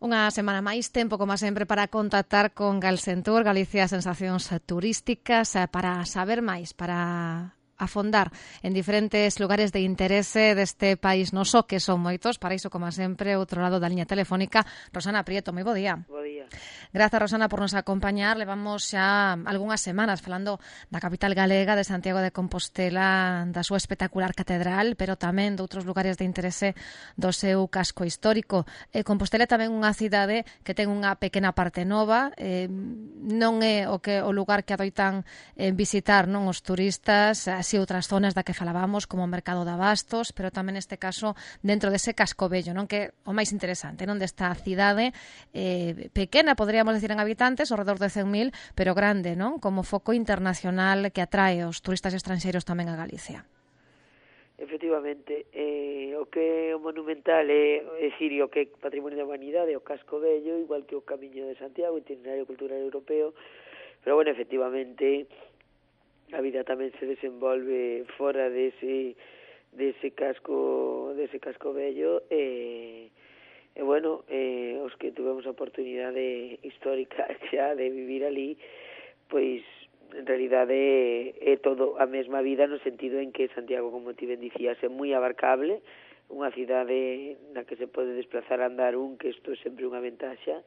Unha semana máis, tempo, como sempre, para contactar con Galsentur, Galicia Sensacións Turísticas, para saber máis, para afondar en diferentes lugares de interese deste país noso, que son moitos. Para iso, como sempre, outro lado da liña telefónica, Rosana Prieto. Moi bo día. Bo día. Grazas, Rosana, por nos acompañar. Levamos xa algunhas semanas falando da capital galega, de Santiago de Compostela, da súa espectacular catedral, pero tamén de outros lugares de interese do seu casco histórico. Compostela é tamén unha cidade que ten unha pequena parte nova, non é o lugar que adoitan visitar, non, os turistas, así outras zonas da que falábamos, como o mercado de abastos, pero tamén neste caso dentro dese casco vello, non, que é o máis interesante, non, desta cidade pequena, poderíamos decir en habitantes, ao redor de 100.000, pero grande, non, como foco internacional que atrae os turistas estranxeiros tamén a Galicia. Efectivamente, o que é o monumental é dicir, o que é patrimonio da humanidade, o casco vello, igual que o Camiño de Santiago, itinerario cultural europeo, pero bueno, efectivamente a vida tamén se desenvolve fora dese casco vello, e bueno, os que tuvemos a oportunidade histórica xa de vivir ali, pois en realidade é todo a mesma vida, no sentido en que Santiago, como ti ben dicías, é moi abarcable, unha cidade na que se pode desplazar a andar que isto é sempre unha ventaxa,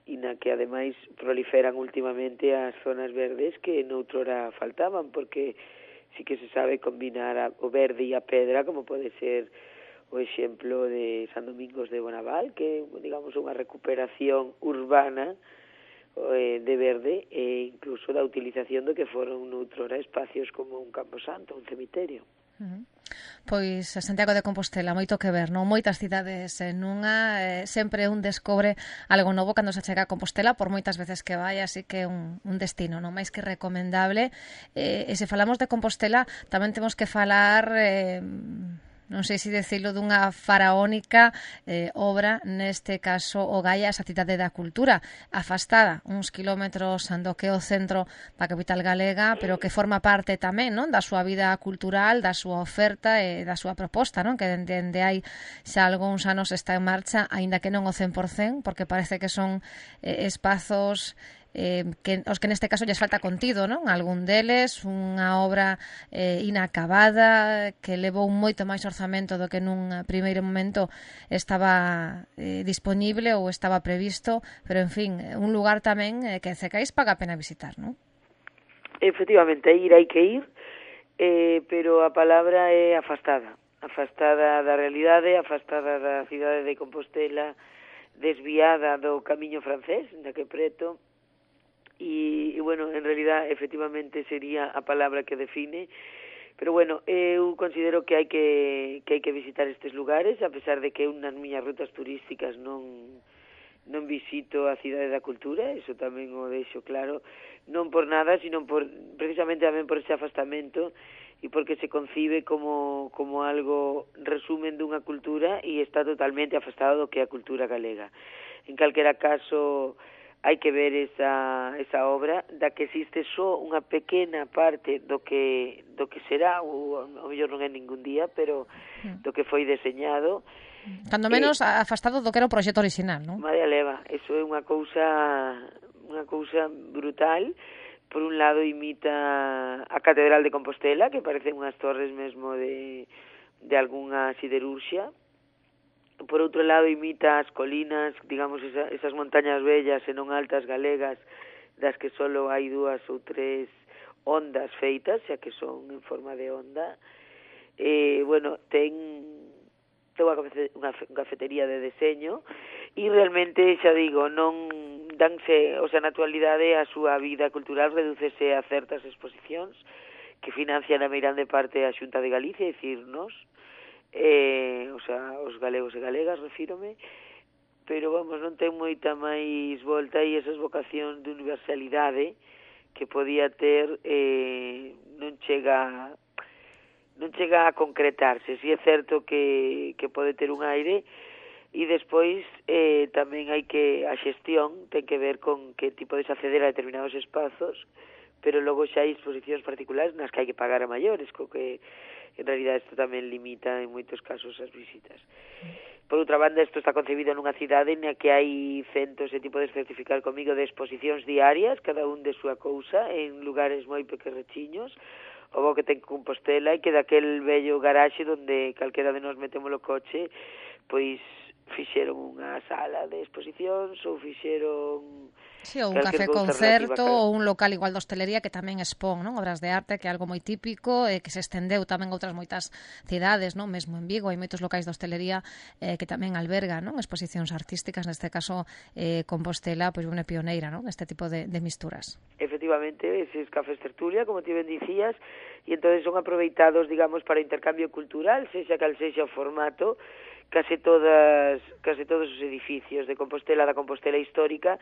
e na que ademais proliferan últimamente as zonas verdes que noutrora faltaban, porque sí que se sabe combinar o verde e a pedra, como pode ser o exemplo de San Domingos de Bonaval, que digamos unha recuperación urbana de verde, e incluso da utilización do que foron noutrora espacios como un camposanto, un cemiterio. Pois Santiago de Compostela, moito que ver, non? Moitas cidades nunha, sempre un descobre algo novo cando se chega a Compostela, por moitas veces que vai, así que un destino non máis que recomendable. E se falamos de Compostela, tamén temos que falar, non sei se decirlo, dunha faraónica obra, neste caso o Gaia, esa cidade da cultura, afastada uns kilómetros do que é o centro da capital galega, pero que forma parte tamén, non, da súa vida cultural, da súa oferta e da súa proposta, non, que dende hai xa algúns anos está en marcha, aínda que non o 100%, porque parece que son espazos os que neste caso lles falta contido, non? Algún deles, unha obra inacabada, que levou moito máis orzamento do que nun primeiro momento estaba disponible ou estaba previsto, pero en fin, un lugar tamén que Cecais paga a pena visitar, non? Efectivamente, hai que ir, pero a palabra é afastada da realidade, afastada da cidade de Compostela, desviada do camiño francés, da que preto. E bueno, en realidad efectivamente sería a palabra que define, pero bueno, eu considero que hai que visitar estes lugares, a pesar de que nas miñas rutas turísticas non visito a cidade da cultura, eso tamén o deixo claro, non por nada, sino precisamente tamén por ese afastamento, e porque se concibe como algo resumen dunha cultura e está totalmente afastado do que é a cultura galega. En calquera caso, hai que ver esa obra, da que existe só unha pequena parte do que será, ou ao mellor non é ningún día, pero do que foi deseñado. Cando menos afastado do que era o proxecto original, non? María leva, eso é unha cousa brutal. Por un lado imita a Catedral de Compostela, que parece unhas torres mesmo de algunha siderurxia. Por outro lado imita as colinas, digamos, esas montañas bellas e non altas galegas, das que solo hai 2 ou 3 ondas feitas, xa que son en forma de onda. Bueno, ten unha cafetería de deseño, e realmente, xa digo, non danse, o sea, na actualidade a súa vida cultural redúcese a certas exposicións que financian a meirande parte a Xunta de Galicia, é dicir, nos, o sea, os galegos e galegas, refírome, pero vamos, non ten moita máis volta, e esas vocacións de universalidade que podía ter non chega a concretarse. Si é certo que pode ter un aire, e despois tamén hai que a xestión ten que ver con que ti podes acceder a determinados espazos, pero logo xa hai exposicións particulares nas que hai que pagar a maiores, co que en realidad isto tamén limita en moitos casos as visitas. Por outra banda, isto está concebido nunha cidade na que hai centos, e ti podes certificar comigo, de exposicións diarias, cada un de súa cousa, en lugares moi pequerrechiños, o bo que ten Compostela, e que daquel vello garaxe donde calquera de nós metemos o coche, pois fixeron unha sala de exposicións ou fixeron sí, ou un café concerto ou un local igual de hostelería que tamén expón, non, obras de arte, que é algo moi típico e que se estendeu tamén a outras moitas cidades, non, mesmo en Vigo hai moitos locais de hostelería que tamén albergan, non, exposicións artísticas, neste caso Compostela pois unha pioneira, non, neste tipo de misturas. Efectivamente, eses cafés tertulia, como ti ben dicías, e entonces son aproveitados, digamos, para o intercambio cultural, sexa cal sexa o formato. Case todos os edificios de Compostela, da Compostela histórica,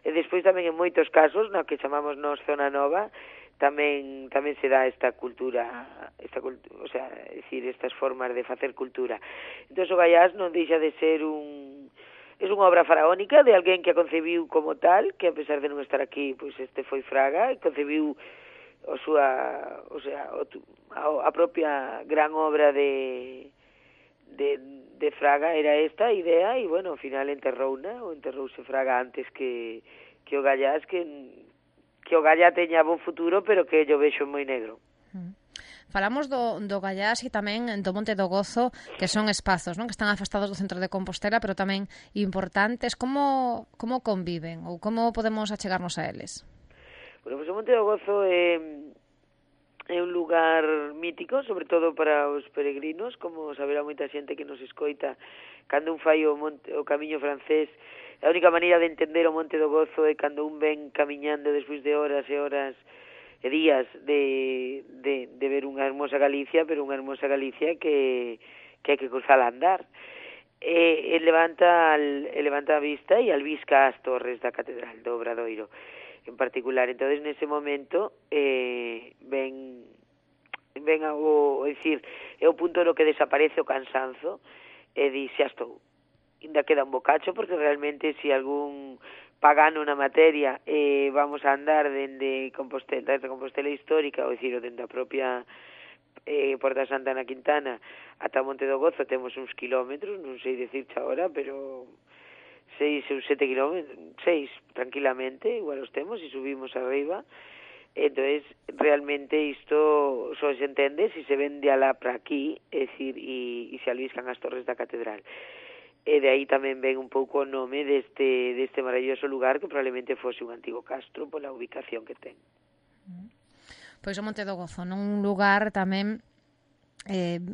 e despois tamén en moitos casos, na que chamamos nós Zona Nova, tamén se dá esta cultura, o sea, é dicir, estas formas de facer cultura. Entón, o Gaiás non deixa de ser é unha obra faraónica de alguén que a concebiu como tal, que a pesar de non estar aquí, pois este foi Fraga, e concebiu a propia gran obra de Fraga era esta idea, e, bueno, ao final enterrouse Fraga antes que o Gaiás, que o Gaiás teña bon futuro, pero que yo vexo moi negro. Falamos do Gaiás e tamén do Monte do Gozo, que son espazos, non, que están afastados do centro de Compostela, pero tamén importantes. Como conviven ou como podemos achegarnos a eles? Bueno, pois o Monte do Gozo é un lugar mítico, sobre todo para os peregrinos, como saberá moita xente que nos escoita. Cando un fai o camiño francés, a única maneira de entender o Monte do Gozo é cando un ven camiñando despois de horas e horas e días de ver unha hermosa Galicia, pero unha hermosa Galicia que hai que cruzar a andar. E levanta a vista e albisca as torres da Catedral do Obradoiro en particular. Entonces, nese momento ven é o punto no que desaparece o cansanzo e di, xa estou, ainda queda un bocacho, porque realmente se algún pagano na materia vamos a andar dende Compostela histórica, ou dicir, dende a propia Porta Santa na Quintana ata Monte do Gozo temos uns kilómetros, non sei dicirche agora, pero 6 ou 7 kilómetros, 6 tranquilamente, igual os temos, e subimos arriba. Entonces, realmente isto só se entende se se ven de alá para aquí, é dicir, e se albiscan as torres da catedral. E de aí tamén ven un pouco o nome deste maravilloso lugar, que probablemente fose un antigo castro pola ubicación que ten. Pois o Monte do Gozo, un lugar tamén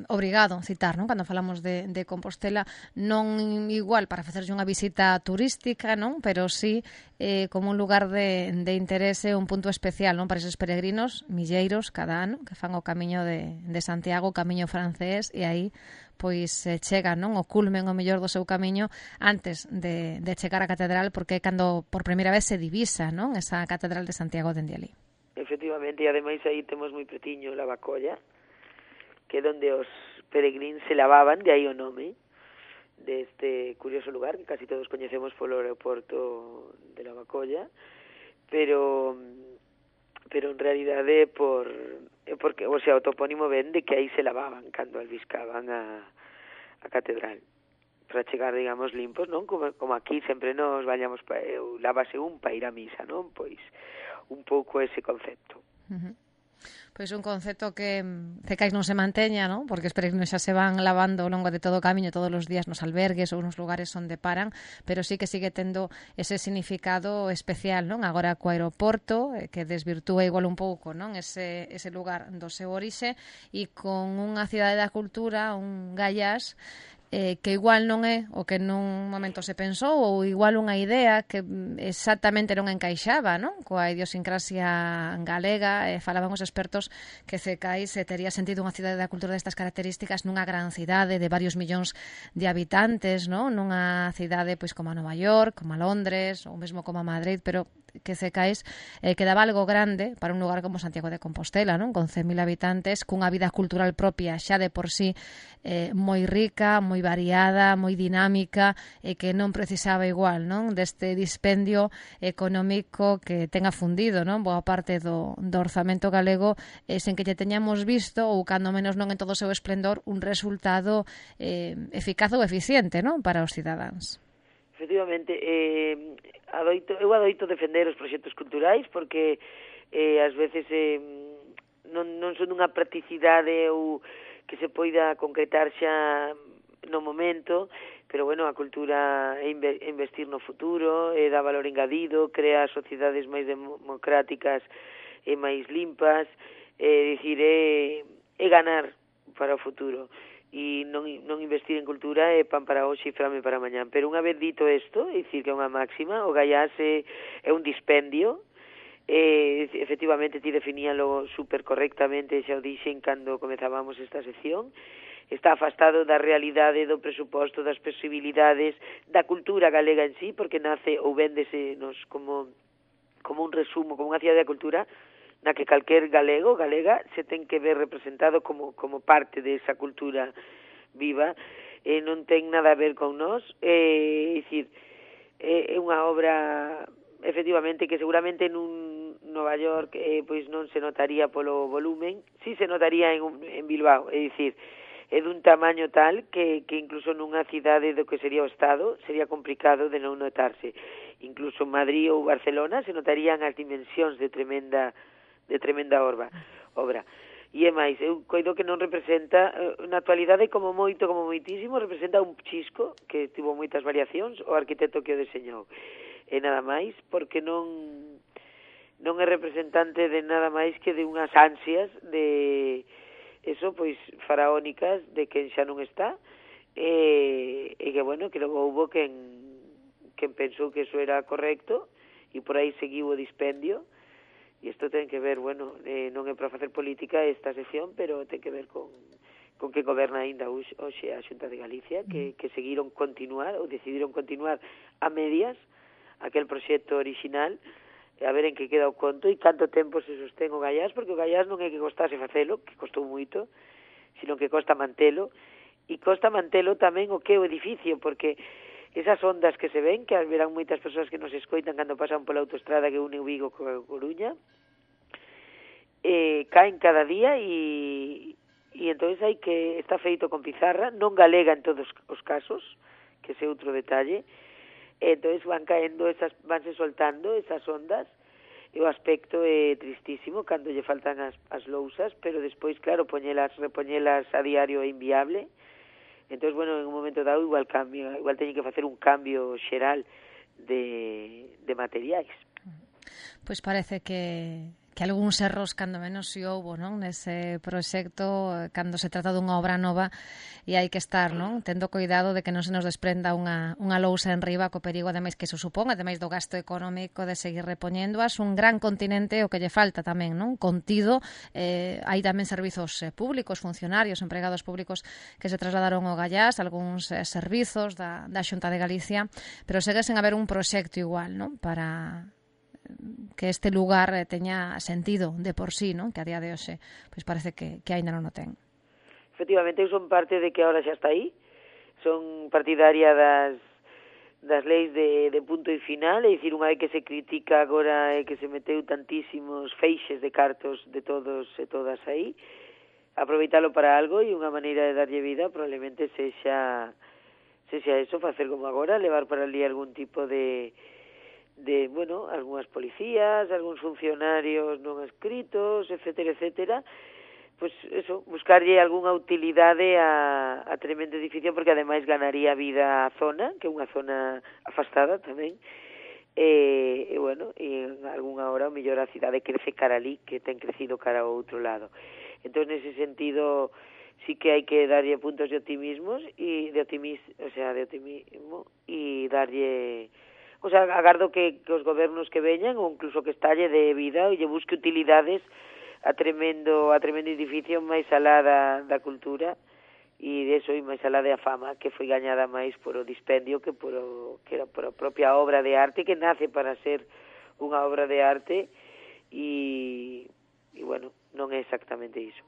obrigado a citar, non? Cando falamos de Compostela, non igual para facerlle unha visita turística, non? Pero sí como un lugar de interese, un punto especial, non? Para esos peregrinos milleiros cada ano que fan o camiño de Santiago, o camiño francés, e aí pois chegan, non? O culmen o mellor do seu camiño antes de chegar á catedral, porque é cando por primeira vez se divisa, non? Esa catedral de Santiago dende ali. Efectivamente, e ademais aí temos moi pretiño la Bacolla, que é onde os peregrinos se lavaban, de aí o nome deste curioso lugar que casi todos coñecemos polo aeroporto de la Bacolla, pero en realidade porque, o sea, o topónimo ven de que aí se lavaban cando albiscaban a catedral para chegar, digamos, limpos, non? Como aquí sempre nos bañamos lávase un para ir a misa, non? Pois un pouco ese concepto. Pois un concepto que cecais non se manteña, non? Porque os peregrinos xa se van lavando ao longo de todo o camiño todos os días nos albergues ou nos lugares onde paran, pero sí que sigue tendo ese significado especial, non? Agora co aeroporto, que desvirtúa igual un pouco, non? Ese lugar do seu orixe, e con unha cidade da cultura, un Gaiás, que igual non é o que nun momento se pensou, ou igual unha idea que exactamente non encaixaba, non? Coa idiosincrasia galega, falaban os expertos que Cecais tería sentido unha cidade da cultura destas características nunha gran cidade de varios millóns de habitantes, non? Nunha cidade pois como a Nova York, como a Londres, ou mesmo como a Madrid, pero que Cecais quedaba algo grande para un lugar como Santiago de Compostela, non? Con 100.000 habitantes, cunha vida cultural propia xa de por sí moi rica, moi variada, moi dinámica, e que non precisaba igual, non? Deste dispendio económico que ten afundido, non? Boa parte do orzamento galego sen que lle teñamos visto, ou cando menos non en todo o seu esplendor, un resultado eficaz ou eficiente, non? Para os cidadáns. Efectivamente, eu adoito defender os proxectos culturais porque ás veces non son unha practicidade ou que se poida concretar xa no momento, pero bueno, a cultura é investir no futuro, dá valor engadido, crea sociedades máis democráticas e máis limpas, dicir, é ganar para o futuro. E non investir en cultura é pan para hoxe e frame para mañán. Pero unha vez dito isto, é dicir que é unha máxima, o Gaiás é un dispendio, efectivamente ti definíalo super correctamente, xa o dixen cando comezábamos esta sección, está afastado da realidade, do presuposto, das posibilidades, da cultura galega en sí, porque nace ou véndese nos como un resumo, como unha cidade da cultura, na que calquer galego, galega, se ten que ver representado como parte desa cultura viva, non ten nada a ver con nós, é dicir, é unha obra, efectivamente, que seguramente nun Nova York pois non se notaría polo volumen, si se notaría en Bilbao, é dicir, é dun tamaño tal que incluso nunha cidade do que sería o Estado sería complicado de non notarse. Incluso en Madrid ou Barcelona se notarían as dimensións de tremenda obra. E é máis, eu coido que non representa, na actualidade como moitísimo, representa un chisco que tivo moitas variacións, o arquitecto que o deseñou. E nada máis, porque non é representante de nada máis que de unhas ansias de eso, pois, faraónicas de quen xa non está, e que, bueno, que logo houbo quen pensou que eso era correcto, e por aí seguiu o dispendio. E isto ten que ver, bueno, non é para facer política esta sección, pero ten que ver con que goberna aínda hoxe a Xunta de Galicia, que decidiron continuar a medias aquel proxecto orixinal, a ver en que queda o conto e canto tempo se sostén o Gaiás, porque o Gaiás non é que costase facelo, que costou moito, sino que costa mantelo, e costa mantelo tamén o que é o edificio, porque esas ondas que se ven, que verán moitas persoas que nos escoitan cando pasan pola autoestrada que une o Vigo coa Coruña, caen cada día e entonces hai que está feito con pizarra, non galega en todos os casos, que ese outro detalle, entonces van vanse soltando esas ondas, e o aspecto é tristísimo cando lle faltan as lousas, pero despois, claro, repoñelas a diario é inviable. Entón, bueno, en un momento dado igual teñen que facer un cambio xeral de materiais. Pois parece que algúns erros cando menos si houbo, non? Nese proxecto, cando se trata dunha obra nova, e hai que estar, non? Tendo cuidado de que non se nos desprenda unha lousa en riba, co perigo, ademais, que se supón, ademais do gasto económico de seguir repoñéndoas, un gran continente o que lle falta tamén, non? Contido, hai tamén servizos públicos, funcionarios, empregados públicos que se trasladaron ao Gaiás, algúns servizos da Xunta de Galicia, pero segue sen haber un proxecto igual, non? Para que este lugar teña sentido de por sí, non? Que a día de hoxe pois parece que aínda non o ten. Efectivamente, eu son parte de que ahora xa está aí, son partidaria das leis de punto e final, é dicir, unha vez que se critica agora que se meteu tantísimos feixes de cartos de todos e todas aí, aproveitalo para algo, e unha maneira de darlle vida probablemente sexa eso, facer como agora, levar para ali algún tipo de bueno, algunhas policías, algúns funcionarios non escritos, etcétera, pues eso, buscarlle algunha utilidade a tremendo edificio, porque ademais ganaría vida a zona, que é unha zona afastada tamén, e bueno, e en algunha hora o mellor a cidade crece cara ali, que ten crecido cara ao outro lado. Entón, nese sentido, sí que hai que darlle puntos de optimismo e darlle, o sea, agardo que os gobernos que veñan, ou incluso que estalle de vida e lle busque utilidades a tremendo edificio máis alá da cultura, e de eso e máis alá da fama que foi gañada máis por o dispendio que era por a propia obra de arte que nace para ser unha obra de arte e bueno, non é exactamente iso.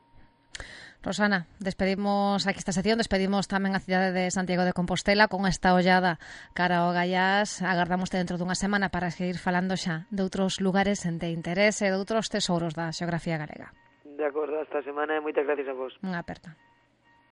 Rosana, despedimos aquí esta sección, despedimos tamén a cidade de Santiago de Compostela con esta ollada cara ao Gaiás. Agardámoste dentro dunha semana para seguir falando xa de outros lugares de interese, de outros tesouros da xeografía galega. De acordo, hasta a semana e moitas gracias a vos. Unha aperta.